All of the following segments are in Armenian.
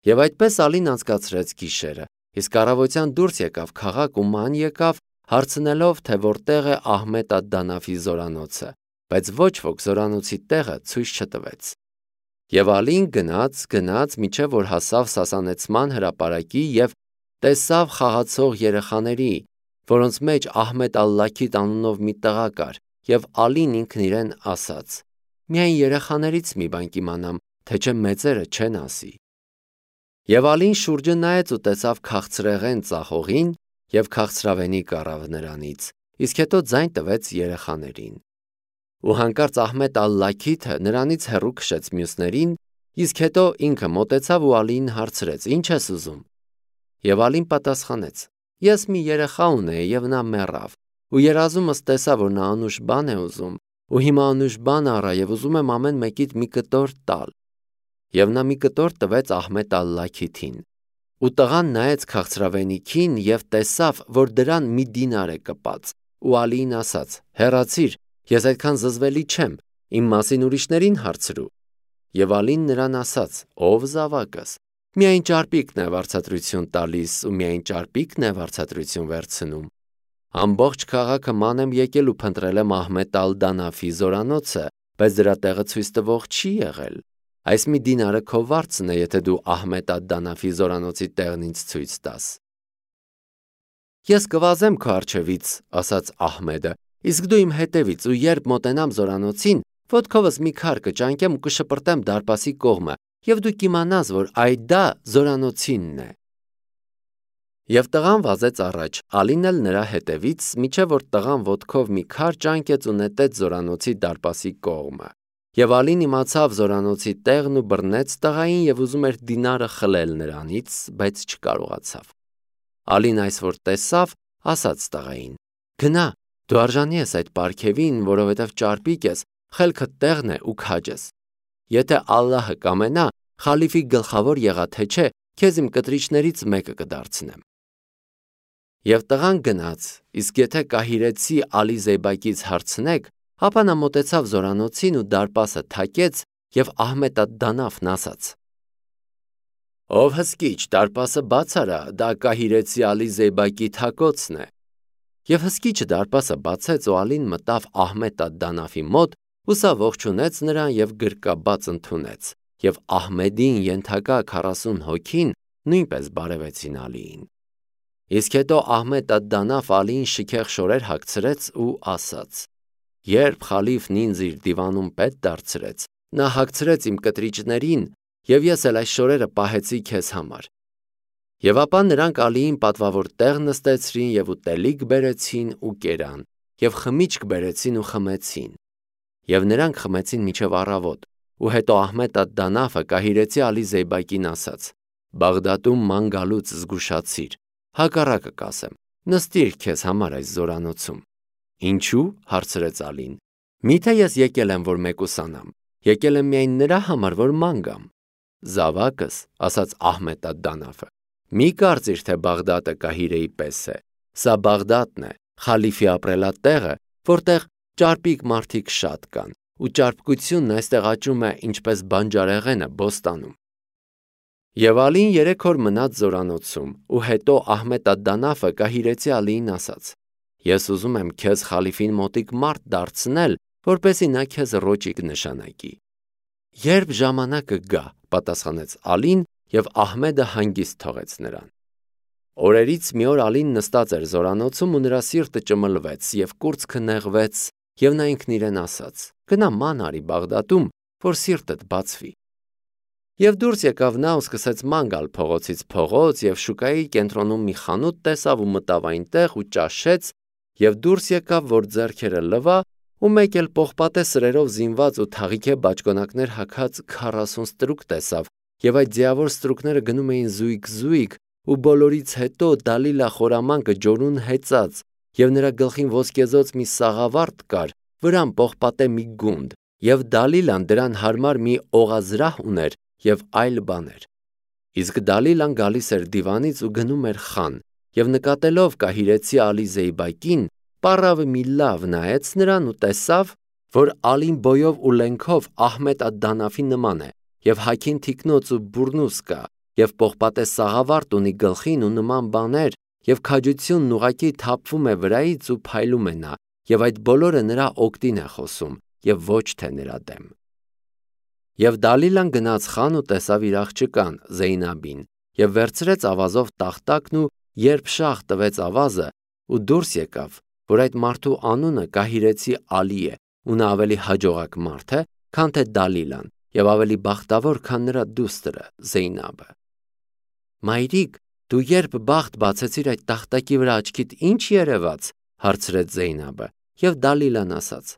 Եվ այդպես Ալին անցկացրեց գիշերը, իսկ առավոտյան դուրս եկավ քաղաք ու ման եկավ, հարցնելով, թե որտեղ է Ահմեդ ալ-Դանաֆի զորանոցը, բայց ոչ ոք զորանոցի տեղը ցույց չտվեց։ Եվ Ալին գնաց, մինչև որ հասավ Սասանեցման հրապարակի և տեսավ խաղացող երեխաների, որոնց մեջ Ահմեդ ալ-Լաքիթ անունով մի տղա կար, և Ալին ինքն իրեն ասաց. «Միայն երեխաներից մի բան կիմանամ, թե չէ մեծերը չեն ասի»։ Եվ Ալին շուրջը նայեց ու տեսավ քաղցրեղեն ծախողին և քաղցրավենիք առավ նրանից, իսկ հետո ձայն տվեց երեխաներին։ Ու հանկարծ Ահմեդ ալ-Լաքիթը նրանից հեռու քշեց մյուսներին, իսկ հետո ինքը մոտեցավ ու Ալիին հարցրեց. «Ի՞նչ ես ուզում»։ Եվ Ալին պատասխանեց. «Ես մի երեխա ունեի և նա մեռավ, ու երազումս տեսա, որ նա անուշ բան է ուզում, ու հիմա անուշ բան առա և ուզում եմ ամեն մեկիդ մի կտոր տալ»։ Եվ նա մի կտոր տվեց Ահմեդ ալ-Լաքիթին։ Ու տղան նայեց քաղցրավենիքին և տեսավ, որ դրան մի դինար է կպած, ու Ալիին ասաց. «Հեռացիր, ես այդքան զզվելի չեմ, իմ մասին ուրիշներին հարցրու»։ Եվ Ալին նրան ասաց. «Ով զավակս, միայն ճարպիկն է վարձատրություն տալիս ու միայն ճարպիկն է վարձատրություն վերցնում։ Ամբողջ քաղաքը ման եմ եկել ու փնտրել եմ Ահմեդ ալ-Դանաֆի զորանոցը, բայց դրա տեղը ցույց տվող չի եղել։ Այս մի դինարը քո վարձն է, եթե դու Ահմեդ ալ-Դանաֆի զորանոցի տեղն ինձ ցույց տաս»։ «Ես կվազեմ քո առջևից», ասաց Ահմեդը, «իսկ դու իմ հետևից, ու երբ մոտենամ զորանոցին, ոտքովս մի քար կճանկեմ ու կշպրտեմ դարպասի կողմը, և դու կիմանաս, որ դա զորանոցինն է»։ Եվ տղան վազեց առաջ, Ալին էլ նրա հետևից, մինչև որ տղան ոտքով մի քար ճանկեց ու նետեց զորանոցի դարպասի կողմը։ Եվ Ալին իմացավ զորանոցի տեղն ու բռնեց տղային և ուզում էր դինարը խլել նրանից, բայց չկարողացավ։ Ալին այս որ տեսավ, ասաց տղային. «Գնա, դու արժանի ես այդ պարգևին, որովհետև ճարպիկ ես, խելքդ տեղն է ու քաջ ես։ Եթե Ալլահը կամենա, խալիֆի գլխավոր եղա թե չէ, քեզ իմ կտրիչներից մեկը կդարձնեմ»։ Եվ տղան գնաց, իսկ եթե կահիրեցի Ալի Զեյբակից հարցնեք, ապա նա մոտեցավ զորանոցին ու դարպասը թակեց, և Ահմեդ ալ-Դանաֆն ասաց. «Ով հսկիչ, դարպասը բաց արա, դա կահիրեցի Ալի Զեյբակի թակոցն է»։ Եվ հսկիչը դարպասը բացեց ու Ալին մտավ Ահմեդ ալ-Դանաֆի մոտ ու սա ողջունեց նրան և գրկաբաց ընդունեց, և Ահմեդին ենթակա 40 հոգին նույնպես բարևեցին Ալիին։ Իսկ հետո Ահմեդ ալ-Դանաֆ Ալիին շքեղ շորեր հագցրեց ու ասաց. «Երբ խալիֆն ինձ իր դիվանում պետ դարձրեց, նա հագցրեց իմ կտրիճներին, և ես էլ այս շորերը պահեցի քեզ համար»։ Եվ ապա նրանք Ալիին պատվավոր տեղ նստեցրին և ուտելիք բերեցին ու կերան, և խմիչք բերեցին ու խմեցին։ Եվ նրանք խմեցին մինչև առավոտ, ու հետո Ահմեդ ալ-Դանաֆը կահիրեցի Ալի Զեյբակին ասաց. «Բաղդադում ման գալուց զգուշացիր, հակառակը կասեմ, նստիր քեզ համար այս զորանոցում»։ «Ինչու՞» հարցրեց Ալին։ «Միթե ես եկել եմ, որ մեկուսանամ, եկել եմ միայն նրա համար, որ ման գամ»։ «Զավակս», ասաց Ահմեդ ալ-Դանաֆը, «մի կարծիր, թե Բաղդադը Կահիրեի պես է, սա Բաղդադն է, խալիֆի ապրելատեղը, որտեղ ճարպիկ մարդիկ շատ կան, ու ճարպկությունն այստեղ աճում է ինչպես բանջարեղենը բոստանում»։ Եվ Ալին 3 օր մնաց զորանոցում, ու հետո Ահմեդ ալ-Դանաֆը կահիրեցի Ալիին ասաց. «Ես ուզում եմ քեզ խալիֆին մոտիկ մարդ դարձնել, որպեսզի նա քեզ ռոճիկ նշանակի»։ «Երբ ժամանակը գա», պատասխանեց Ալին, և Ահմեդը հանգիստ թողեց նրան։ Օրերից մի օր Ալին նստած էր զորանոցում ու նրա սիրտը ճմլվեց և կուրծքը նեղվեց, և նա ինքն իրեն ասաց. «Գնա ման արի Բաղդադում, որ սիրտդ բացվի»։ Եվ դուրս եկավ նա ու սկսեց ման գալ փողոցից փողոց, և շուկայի կենտրոնում մի խանութ տեսավ ու մտավ այնտեղ ու ճաշեց, և դուրս եկավ, որ ձեռքերը լվա, ու մեկ էլ պողպատե սրերով զինված ու թաղիքե բաճկոնակներ հագած 40 ստրուկ տեսավ, և այդ ձիավոր ստրուկները գնում էին զույգ, ու բոլորից հետո Դալիլա խորամանկը ջորուն հեծած, և նրա գլխին ոսկեզօծ մի սաղավարտ կար, վրան պողպատե մի գունդ, և Դալիլան դրան հարմար մի օղազրահ ուներ և այլ բաներ։ Իսկ Դալիլան գալիս էր դիվանից ու գնում էր խան, և նկատելով կահիրեցի Ալի Զեյբակին, պառավը մի լավ նայեց նրան ու տեսավ, որ Ալին բոյով ու լենքով Ահմեդ ալ-Դանաֆի նման է, և հագին թիկնոց ու բուրնուս կա, եւ պողպատե սաղավարտ ունի գլխին ու նման բաներ, եւ քաջությունն ուղակի թափվում է վրայից ու փայլում է նա, եւ այդ բոլորը նրա օգտին է խոսում, եւ ոչ թե նրա դեմ։ Եվ Դալիլան գնաց խան ու տեսավ իր աղջկան Զեյնաբին, եւ վերցրեց ավազով տախտակն ու երբ շաղ տվեց ավազը, ու դուրս եկավ, որ այդ մարդու անունը Կահիրեցի Ալի է, ու նա ավելի հաջողակ մարդ է, քան թե Դալիլան, եւ ավելի բախտավոր, քան նրա դուստրը Զեյնաբը։ Մայրիկ, դու երբ բախտ բացեցիր այդ տախտակի վրա աչքիդ ինչ երևաց, հարցրեց Զեյնաբը, եւ Դալիլան ասաց.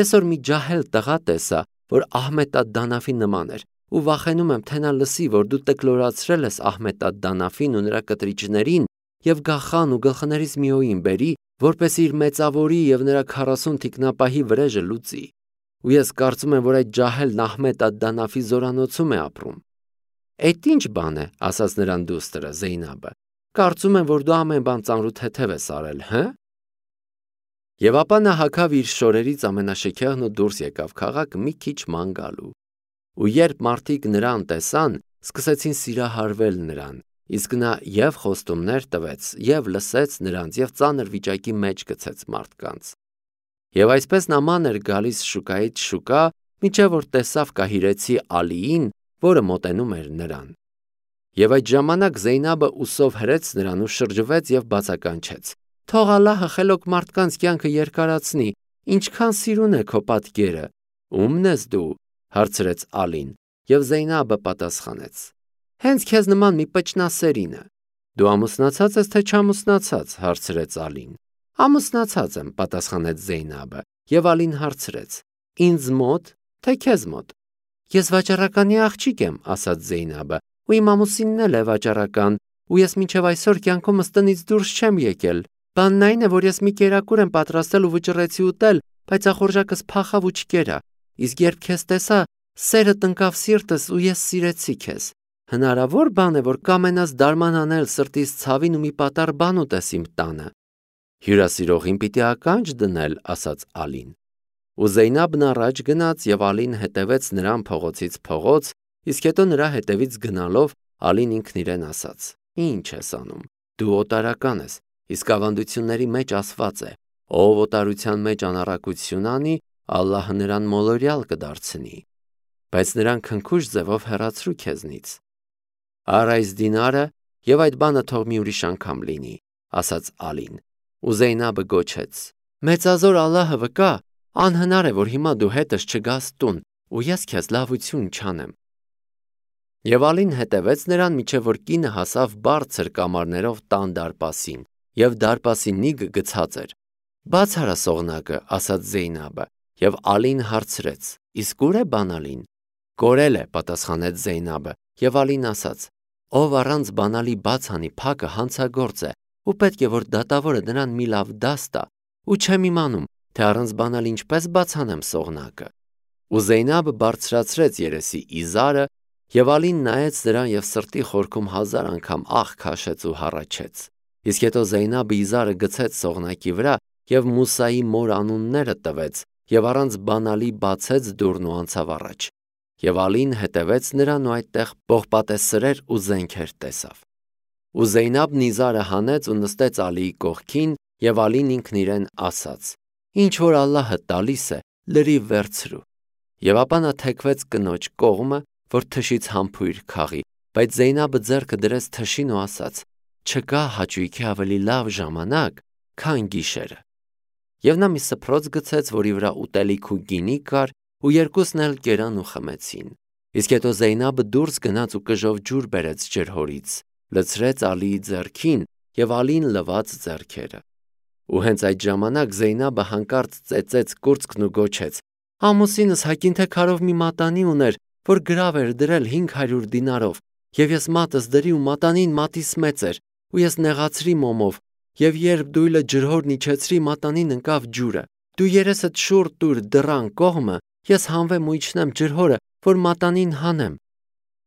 Այսօր մի ջահել տղա տեսա, որ Ահմեդ ալ-Դանաֆի նման էր, ու վախենում եմ, թե նա լսի, որ դու տկլորացրել ես Ահմեդ ալ-Դանաֆին ու նրա կտրիչներին, եւ գախան ու գլխներից մի օին բերի, որպեսզի իր մեծավորի եւ նրա 40 թիկնապահի վրեժը լուծի։ Ու ես կարծում եմ, որ այդ ջահելն Ահմեդ ալ-Դանաֆի զորանոցում է ապրում։ Այդ ինչ բան է, ասաց նրան դուստրը Զեյնաբը։ Կարծում եմ, որ դու ամեն բան ծանրութեթև ես արել, հը։ Եվ ապա նա հագավ իր շորերից ամենաշքեղն ու դուրս եկավ քաղաք մի քիչ ման գալու։ Ու երբ մարդիկ նրան տեսան, սկսեցին սիրահարվել նրան, իսկ նա եւ խոստումներ տվեց, եւ լսեց նրանց, եւ ծանր վիճակի մեջ գցեց մարդկանց։ Եվ այսպես նման էր գալիս շուկայից շուկա, մինչև որ տեսավ Կահիրեցի Ալիին, որը մոտենում էր նրան։ Եվ այդ ժամանակ Զեյնաբը ուսով հրեց նրան ու շրջվեց եւ բացականչեց. Թող Ալլահը խելոք մարդկանց կյանքը երկարացնի, ինչքան սիրուն է քո պատկերը։ Ո՞ւմն ես դու, հարցրեց Ալին, եւ Զեյնաբը պատասխանեց. Հենց քեզ նման մի պճնասերինը։ Դու ամուսնացած ես թե չամուսնացած, հարցրեց Ալին։ Ամուսնացած եմ, պատասխանեց Զեյնաբը, եւ Ալին հարցրեց. Ինձ մոտ, թե քեզ մոտ։ Ես վաճառականի աղջիկ եմ, ասաց Զեյնաբը, ու իմ ամուսինն էլ է վաճառական, ու ես մինչև այսօր կյանքումս տնից դուրս չեմ եկել։ Բանն այն է, որ ես մի կերակուր եմ պատրաստել ու վճռեցի ուտել, բայց ախորժակս փախավ ու չկերա։ Իսկ երբ քեզ տեսա, սերը տնկավ սիրտս ու ես սիրեցի քեզ։ Հնարավոր բան է, որ կամենաս դարման անել սրտիս ցավին ու մի պատառ բան ուտես իմ տանը։ Հյուրասիրողին պիտի ականջ դնել, ասաց Ալին։ Ու Զեյնաբն առաջ գնաց եւ Ալին հետևեց նրան փողոցից փողոց, իսկ հետո նրա հետևից գնալով Ալին ինքն իրեն ասաց. Ինչ ես անում։ Դու օտարական ես, իսկ ավանդությունների մեջ ասված է. ով օտարության մեջ անառակություն անի, Ալլահը նրան մոլորյալ կդարձնի։ Բայց նրան քնքուշ ձևով հեռացրու քեզնից։ Առ այս դինարը եւ այդ բանը թող մի ուրիշ անգամ լինի, ասաց Ալին։ Ու Զեյնաբը գոչեց. Մեծազոր Ալլահը վկա, անհնար է, որ հիմա դու հետս չգաս տուն, ու ես քեզ լավություն չանեմ։ Եվ Ալին հետևեց նրան, մինչև որ կինը հասավ բարձր կամարներով տան դարպասին, եւ դարպասի նիգը գցած էր։ Բաց արա սողնակը, ասաց Զեյնաբը, եւ Ալին հարցրեց. Իսկ ուր է Բանալին։ Կորել է, պատասխանեց Զեյնաբը, եւ Ալին ասաց. Ով առանց բանալի բաց անի փակը հանցագործ է, ու պետք է որ դատավորը նրան մի լավ դաս տա, ու չեմ իմանում, թե առանց բանալ ինչպես բացանեմ սողնակը։ Ու Զեյնաբը բարձրացրեց երեսի իզարը, եւ Ալին նայեց նրան եւ սրտի խորքում 1000 անգամ աղ քաշեց ու հառաչեց։ Իսկ հետո Զեյնաբը իզարը գցեց սողնակի վրա եւ Մուսայի մոր անունները տվեց եւ առանց բանալի բացեց դուռն ու անցավ առաջ։ Եվ Ալին հետևեց նրան ու այդտեղ պողպատե սրեր ու զենքեր տեսավ։ Ու Զեյնաբն իզարը հանեց ու նստեց Ալիի կողքին եւ Ալին ինքն իրեն ասաց. Ինչ որ Ալլահը տալիս է, լրիվ վերցրու։ Եվ ապա նա թեքվեց կնոջ կողմը, որ թշից համբույր քաղի, բայց Զեյնաբը ձեռքը դրեց թշին ու ասաց. Չկա հաճույքի ավելի լավ ժամանակ, քան գիշերը։ Եվ նա մի սփռոց գցեց, որի վրա ուտելիք ու գինի կար, ու երկուսն էլ կերան ու խմեցին։ Իսկ հետո Զեյնաբը դուրս գնաց ու կժով ջուր բերեց ջրհորից, լցրեց Ալիի ձեռքին եւ Ալին լվաց ձեռքերը։ Ու հենց այդ ժամանակ Զեյնաբը հանկարծ ծեծեց կուրծքն ու գոչեց. Ամուսինս հակին թե քարով մի մատանի ուներ, որ գրավ էր դրել 500 դինարով, եւ ես մատս դրի ու մատանին մատիս մեծ էր, ու ես նեղացրի մոմով, եւ երբ դույլը ջրհորն իջեցրի, մատանին ընկավ ջուրը։ Դու երեսդ շուռ տուր դռան կողմը, ես հանվեմ ու իջնեմ ջրհորը, որ մատանին հանեմ։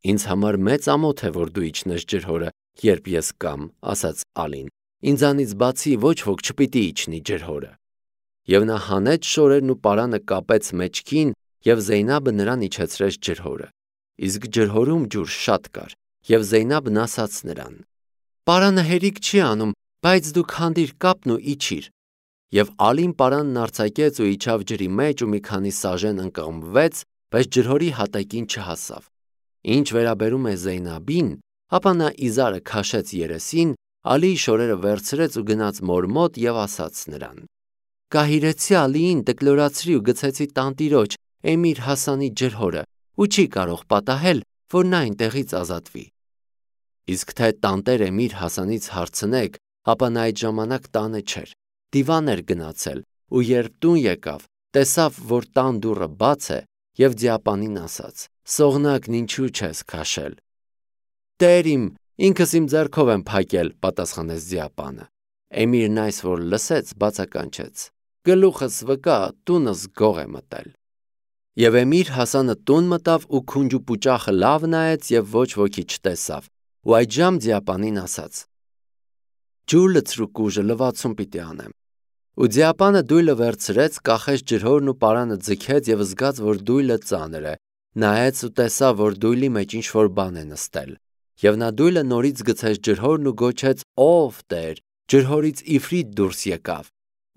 Ինձ համար մեծ ամոթ է, որ դու իջնես ջրհորը, երբ ես կամ, ասաց Ալին։ Ինձանից բացի ոչ ոք չպիտի իջնի ջրհորը։ Եվ նա հանեց շորերն ու պարանը կապեց մեջքին, եւ Զեյնաբը նրան իջեցրեց ջրհորը։ Իսկ ջրհորում ջուր շատ կար, Եվ Զեյնաբն ասաց նրան. «Պարանը հերիք չի անում, բայց դու քանդիր կապն ու իջիր»։ Եվ Ալին պարանն արձակեց ու իջավ ջրի մեջ ու մի քանի սաժեն ընկղմվեց, բայց ջրհորի հատակին չհասավ։ Ինչ վերաբերում է Զեյնաբին, ապա նա իզարը քաշեց երեսին, Ալիի շորերը վերցրեց ու գնաց մոր մոտ եւ ասաց նրան. «Կահիրեցի Ալիին, տկլորացրի ու գցեցի տանտիրոջ Էմիր Հասանի ջրհորը ու չի կարող պատահել, որ նա այնտեղից ազատվի»։ Իսկ թե տանտեր Էմիր Հասանից հարցնեք, ապա նա այդ ժամանակ տանը չէր, դիվան էր գնացել ու երբ տուն եկավ, տեսավ, որ տան դուռը բաց է եւ դիապանին ասաց. «Սողնակն ինչու չես քաշել»։ «Տեր իմ, ինքս իմ ձեռքով եմ փակել», պատասխանեց դիապանը։ Էմիրն այս որ լսեց, բացականչեց. «Գլուխս վկա, տունս գող է մտել»։ Եվ Էմիր Հասանը տուն մտավ ու քունջուպուճախը լավ նայեց եւ ոչ ոքի չտեսավ, ու այդժամ դիապանին ասաց. «Ջուր լցրու կուժը, լվացում պիտի անեմ»։ Ու դիապանը դույլը վերցրեց, կախեց ջրհորն ու պարանը ձգեց եւ զգաց, որ դույլը ծանր է, նայեց ու տեսավ, որ դույլի մեջ ինչ-որ բան է նստել։ Եվ նա դույլը նորից գցեց ջրհորն ու գոչեց. «Ով Տեր, ջրհորից իֆրիտ դուրս եկավ»։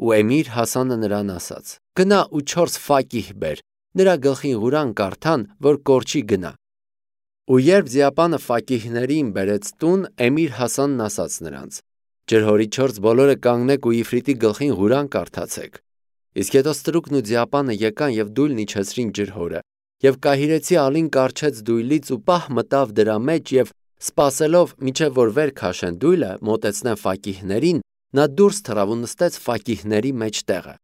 Ու Էմիր Հասանը նրան ասաց. «Գնա ու 4 ֆակիհ բեր, նրա գլխին Ղուրան կարդան, որ կորչի գնա»։ Ու երբ դիապանը ֆակիհներին բերեց տուն, Էմիր Հասանն ասաց նրանց. «Ջրհորի 4 բոլորը կանգնեք ու իֆրիտի գլխին Ղուրան կարդացեք»։ Իսկ հետո ստրուկն ու դիապանը եկան եւ դույլն իջեցրին ջրհորը։ Եվ կահիրեցի Ալին կառչեց դույլից ու պահ մտավ դրա մեջ եւ սպասելով, մինչև որ վեր քաշեն դույլը, մոտեցնեն ֆակիհներին, նա դուրս թռավ ու նստեց ֆակիհների մեջտեղը։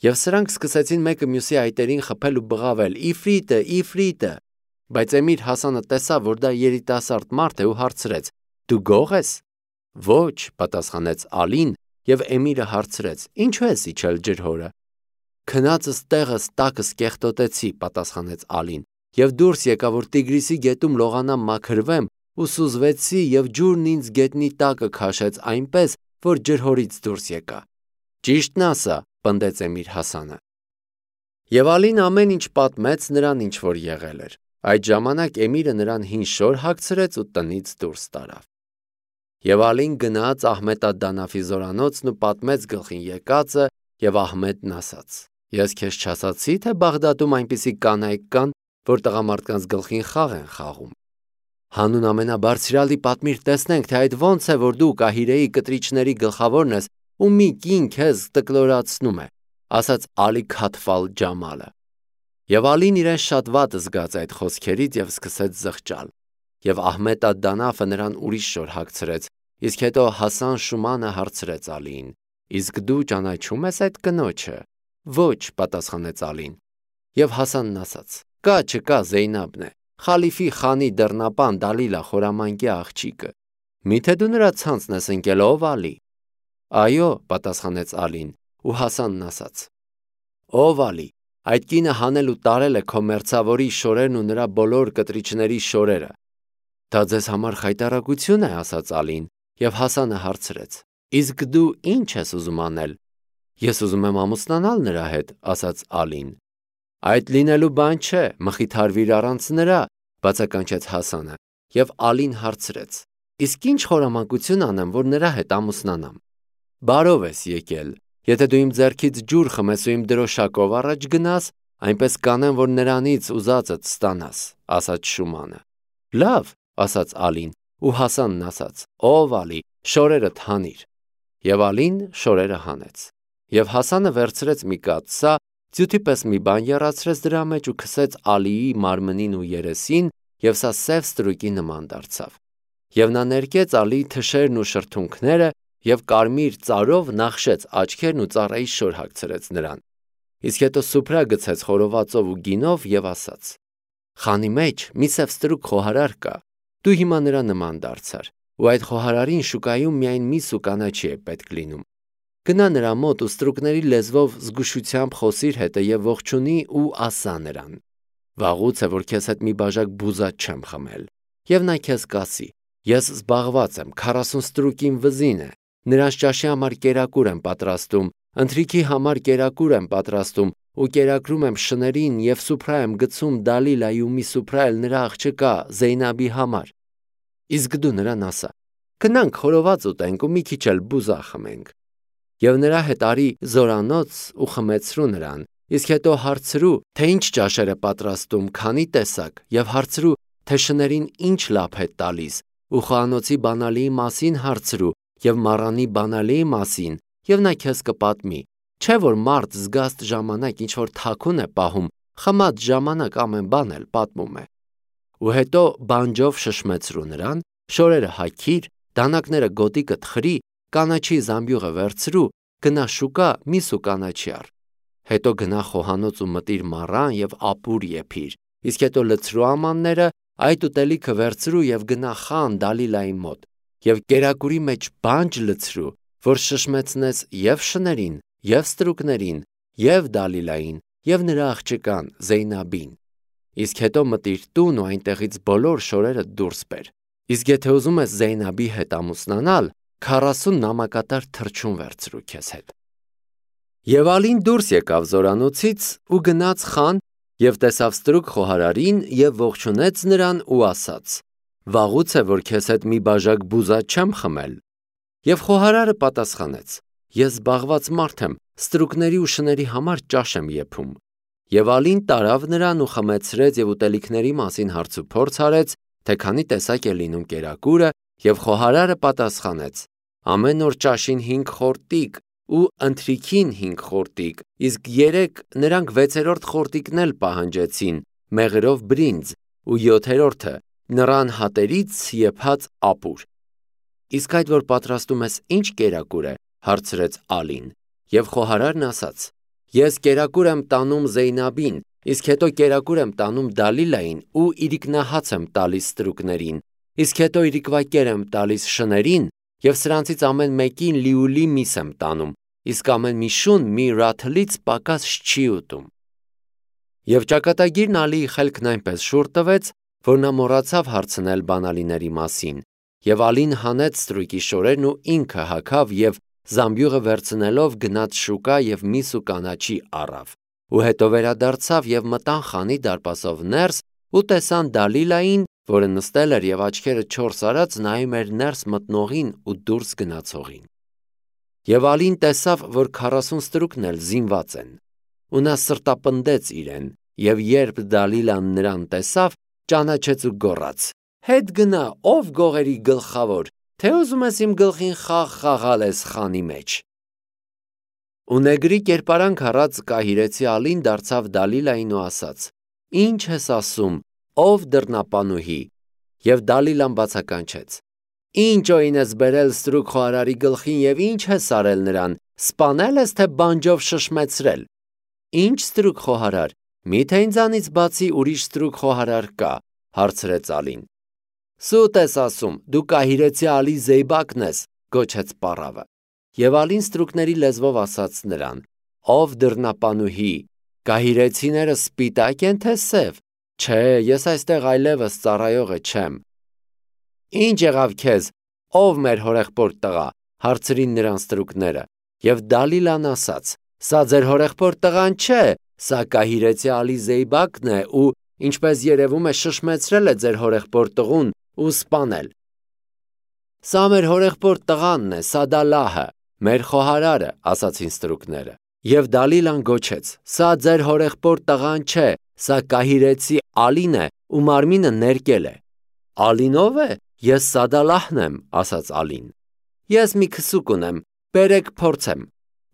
Եվ սրանք սկսեցին մեկը մյուսի այտերին խփել ու բղավել. «Իֆրիտը, Իֆրիտը»։ Բայց Էմիր Հասանը տեսավ, որ դա երիտասարդ մարդ է ու հարցրեց. «Դու գող ես»։ «Ոչ», պատասխանեց Ալին, եւ Էմիրը հարցրեց. «Ինչու ես իջել ջրհորը»։ «Քնածս տեղս տակս կեղտոտեցի», պատասխանեց Ալին, եւ դուրս եկա, որ Տիգրիսի գետում լողանամ մաքրվեմ ու սուզվեցի եւ ջուրն ինձ գետնի տակը քաշեց այնպես, որ ջրհորից դուրս եկա»։ «Ճիշտն ասա», պնդեց Էմիր Հասանը։ Եվ Ալին ամեն ինչ պատմեց նրան, ինչ որ եղել էր։ Այդ ժամանակ Էմիրը նրան հին շոր հագցրեց ու տնից դուրս տարավ։ Եվ Ալին գնաց Ահմեդ ալ-Դանաֆի զորանոցն ու պատմեց գլխին եկածը, եւ Ահմեդն ասաց. «Ես քեզ չասացի, թե Բաղդադում այնպիսի կանայք կան, որ տղամարդկանց գլխին խաղ են խաղում»։ «Հանուն ամենաբարձրյալի պատմիր, տեսնենք, թե այդ ոնց է, որ դու Կահիրեի կտրիչների գլխավորն ես ու մի կին քեզ տկլորացնում է», ասաց Ալի Քաթֆալ Ջամալը։ Եվ Ալին իրեն շատ վատ զգաց այդ խոսքերից եւ սկսեց զղջալ։ Եվ Ահմեդ ալ-Դանաֆը նրան ուրիշ շոր հագցրեց, իսկ հետո Հասան Շումանը հարցրեց Ալիին. «Իսկ դու ճանաչում ես այդ կնոջը»։ «Ոչ», պատասխանեց Ալին։ Եվ Հասանն ասաց. «Կա չկա Զեյնաբն է, խալիֆի խանի դռնապան Դալիլա խորամանկյա աղջիկը։ Միթե դու նրա ցանցն ես ընկել, ով Ալի»։ «Այո», պատասխանեց Ալին, ու Հասանն ասաց. «Ով Ալի, այդ կինը հանել ու տարել է քո մերձավորի շորերն ու նրա բոլոր կտրիչների շորերը»։ «Դա ձեզ համար խայտառակություն է», ասաց Ալին, եւ Հասանը հարցրեց. «Իսկ դու ինչ ես ուզում անել»։ «Ես ուզում եմ ամուսնանալ նրա հետ», ասաց Ալին։ «Այդ լինելու բան չէ, մխիթարվիր առանց նրա», բացականչեց Հասանը, եւ Ալին հարցրեց. «Իսկ ինչ խորամանկություն անեմ, որ նրա հետ ամուսնանամ»։ «Բարով ես եկել, եթե դու իմ ձեռքից ջուր խմես ու իմ դրոշակով առաջ գնաս, այնպես կանեմ, որ նրանից ուզածդ ստանաս», ասաց Շումանը։ «Լավ», ասաց Ալին, ու Հասանն ասաց. «Ով Ալի, շորերդ հանիր»։ Եվ Ալին շորերը հանեց։ Եվ Հասանը վերցրեց մի կաթսա, ձյութի պես մի բան եռացրեց դրա մեջ ու քսեց Ալիի մարմնին ու երեսին, եւ սա սև ստրուկի նման դարձավ։ Եվ նա ներկեց Ալիի թշերն ու շրթունքները եւ կարմիր ծարով նախշեց աչքերն ու ծառայի շոր հագցրեց նրան։ Իսկ հետո սուփրա գցեց խորովածով ու գինով եւ ասաց. «Խանի մեջ մի սև ստրուկ խոհարար կա, դու հիմա նրա նման դարձար, ու այդ խոհարարին շուկայում միայն միս ու կանաչի է պետք լինում։ Գնա նրա մոտ ու ստրուկների լեզվով զգուշությամբ խոսիր հետը եւ ողջունի ու ասա նրան. վաղուց է, որ քեզ հետ մի բաժակ բուզա չեմ խմել։ Եվ նա քեզ կասի. ես զբաղված եմ, 40 ստրուկին վզին է, նրանց ճաշի համար կերակուր եմ պատրաստում, ընթրիքի համար կերակուր եմ պատրաստում ու կերակրում եմ շներին եւ սուփրա եմ գցում Դալիլայի ու մի սուփրա էլ նրա աղջկա Զեյնաբի համար։ Իսկ դու նրան ասա. գնանք խորոված ուտենք ու մի քիչ էլ բուզա խմենք։ Եվ նրա հետ արի զորանոց ու խմեցրու նրան, իսկ հետո հարցրու, թե ինչ ճաշեր է պատրաստում, քանի տեսակ, եւ հարցրու, թե շներին ինչ լափ է տալիս, ու խոհանոցի բանալիի մասին հարցրու, եւ մառանի բանալիի մասին, եւ նա քեզ կպատմի։ Չէ՞ որ մարդ զգաստ ժամանակ ինչ որ թաքուն է պահում, խմած ժամանակ ամեն բան էլ պատմում է։ Ու հետո բանջով շշմեցրու նրան, շորերը հագիր, դանակները գոտիկը թխրի, կանաչի զամբյուղը վերցրու, գնա շուկա, մի սու կանաչի առ։ Հետո գնա խոհանոց ու մտիր մառան եւ ապուր եփիր, իսկ հետո լցրու ամանները, այդ ուտելիքը վերցրու եւ գնա խան Դալիլայի մոտ, եւ կերակուրի մեջ բանջ լցրու, որ շշմեցնես եւ շներին, եւ ստրուկներին, եւ Դալիլային, եւ նրա աղջկան Զեյնաբին։ Իսկ հետո մտիր տուն ու այնտեղից բոլոր շորերը դուրս բեր։ Իսկ եթե ուզում ես Զեյնաբի հետ ամուսնանալ, 40 նամակատար թռչուն վերցրու քեզ հետ։ Եվ Ալին դուրս եկավ զորանոցից ու գնաց խան եւ տեսավ ստրուկ խոհարարին եւ ողջունեց նրան ու ասաց. «Վաղուց է, որ քեզ հետ մի բաժակ բուզա չեմ խմել»։ Եվ խոհարարը պատասխանեց. «Ես զբաղված մարդ եմ, ստրուկների ու շների համար ճաշ եմ եփում»։ Եվ Ալին տարավ նրան ու խմեցրեց եւ ուտելիքների մասին հարցուփորձ արեց, թե քանի տեսակ է լինում կերակուրը, եւ խոհարարը պատասխանեց. «Ամեն օր ճաշին 5 խորտիկ ու ընթրիքին 5 խորտիկ, իսկ 3 նրանք 6-րդ խորտիկն էլ պահանջեցին, մեղրով բրինձ, ու 7-րդը նռան հատերից եփած ապուր»։ Իսկ այդ որ պատրաստում ես ինչ կերակուր է, հարցրեց Ալին, եւ խոհարարն ասաց. «Ես կերակուր եմ տանում Զեյնաբին, իսկ հետո կերակուր եմ տանում Դալիլային ու իրիկնահաց եմ տալիս ստրուկներին, իսկ հետո իրիկվակեր եմ տալիս շներին, եւ սրանցից ամեն մեկին լիուլի միս եմ տանում, իսկ ամեն մի շուն մի ռաթլից պակաս չի ուտում»։ Եվ ճակատագիրն Ալիի խելքն այնպես շուռ տվեց, որ նա մոռացավ հարցնել բանալիների մասին, եւ Ալին հանեց ստրուկի շորերն ու ինքը հագավ եւ զամբյուղը վերցնելով գնաց շուկա եւ միս ու կանաչի առավ, ու հետո վերադարձավ եւ մտան խանի դարպասով ներս ու տեսան Դալիլային, որը նստել էր եւ աչքերը 4 արած նայում էր ներս մտնողին ու դուրս գնացողին։ Եվ Ալին տեսավ, որ 40 ստրուկն էլ զինված են, ու նա սրտապնդեց իրեն, եւ երբ Դալիլան նրան տեսավ, ճանաչեց ու գոռաց. «Հետ գնա, ով գողերի գլխավոր, թե ուզում ես իմ գլխին խաղ խաղալ ես խանի մեջ»։ Ու նեգրի կերպարանք առած կահիրեցի Ալին դարձավ Դալիլային ու ասաց. «Ինչ ես ասում, ով դռնապանուհի»։ Եվ Դալիլան բացականչեց. «Ինչ օին ես բերել ստրուկ խոհարարի գլխին եւ ինչ ես արել նրան, սպանել ես թե բանջով շշմեցրել»։ «Ինչ ստրուկ խոհարար, միթե ինձանից բացի ուրիշ ստրուկ խոհարար կա», հարցրեց Ալին։ «Սուտ ես ասում, դու կահիրեցի Ալի Զեյբակն ես», գոչեց պառավը։ Եվ Ալին ստրուկների լեզվով ասաց նրան. «Ով դռնապանուհի, կահիրեցիները սպիտակ են թե սև։ Չէ, ես այստեղ այլևս ծառայողը չեմ»։ «Ինչ եղավ քեզ, ով մեր հորեղբորդ տղա», հարցրին նրան ստրուկները։ Եվ Դալիլան ասաց. «Սա ձեր հորեղբորդ տղան չէ, սա կահիրեցի Ալի Զեյբակն է ու, ինչպես երևում է, շշմեցրել է ձեր հորեղբորդ տղուն ու սպանել»։ «Սա մեր հորեղբորդ տղանն է, Սադալահը, մեր խոհարարը», ասացին ստրուկները։ Եվ Դալիլան գոչեց. «Սա ձեր հորեղբորդ տղան չէ, սա կահիրեցի Ալին է ու մարմինը ներկել է»։ «Ալին ով է, ես Սադալահն եմ», ասաց Ալին։ «Ես մի քսուկ ունեմ, բերեք փորձեմ»,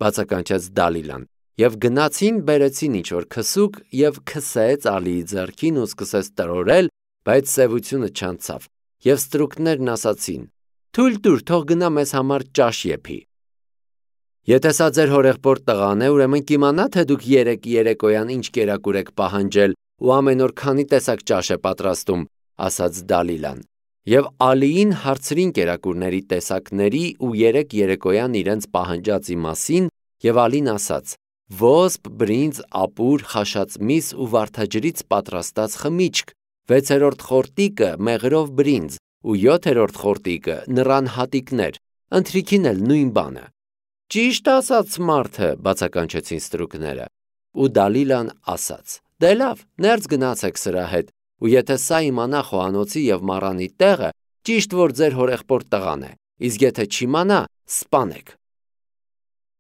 բացականչեց Դալիլան։ Եվ գնացին, բերեցին ինչ-որ քսուկ եւ քսեց Ալիի ձեռքին ու սկսեց տրորել, բայց սևությունը չանցավ։ Եվ ստրուկներն ասացին. «Թույլ տուր, թող գնա մեզ համար ճաշ եփի»։ «Եթե սա ձեր հորեղբորդ տղան է, ուրեմն կիմանա, թե դուք 3 երեկոյան ինչ կերակուր եք պահանջել ու ամեն օր քանի տեսակ ճաշ է պատրաստում», ասաց Դալիլան։ Եվ Ալիին հարցրին կերակուրների տեսակների ու 3 երեկոյան իրենց պահանջածի մասին, եւ Ալին ասաց. «Ոսպ, բրինձ, ապուր, խաշած միս ու վարդաջրից պատրաստած խմիչք, 6-րդ խորտիկը մեղրով բրինձ ու 7-րդ խորտիկը նռան հատիկներ, ընթրիքին էլ նույն բանը»։ «Ճիշտ ասաց մարդը», բացականչեցին ստրուկները։ Ու Դալիլան ասաց. «Դե լավ, ներս գնացեք սրա հետ, ու եթե սա իմանա խոհանոցի եւ մառանի տեղը, Ճիշտ որ ձեր հորեղբոր տղան է, իսկ եթե չիմանա, սպանեք։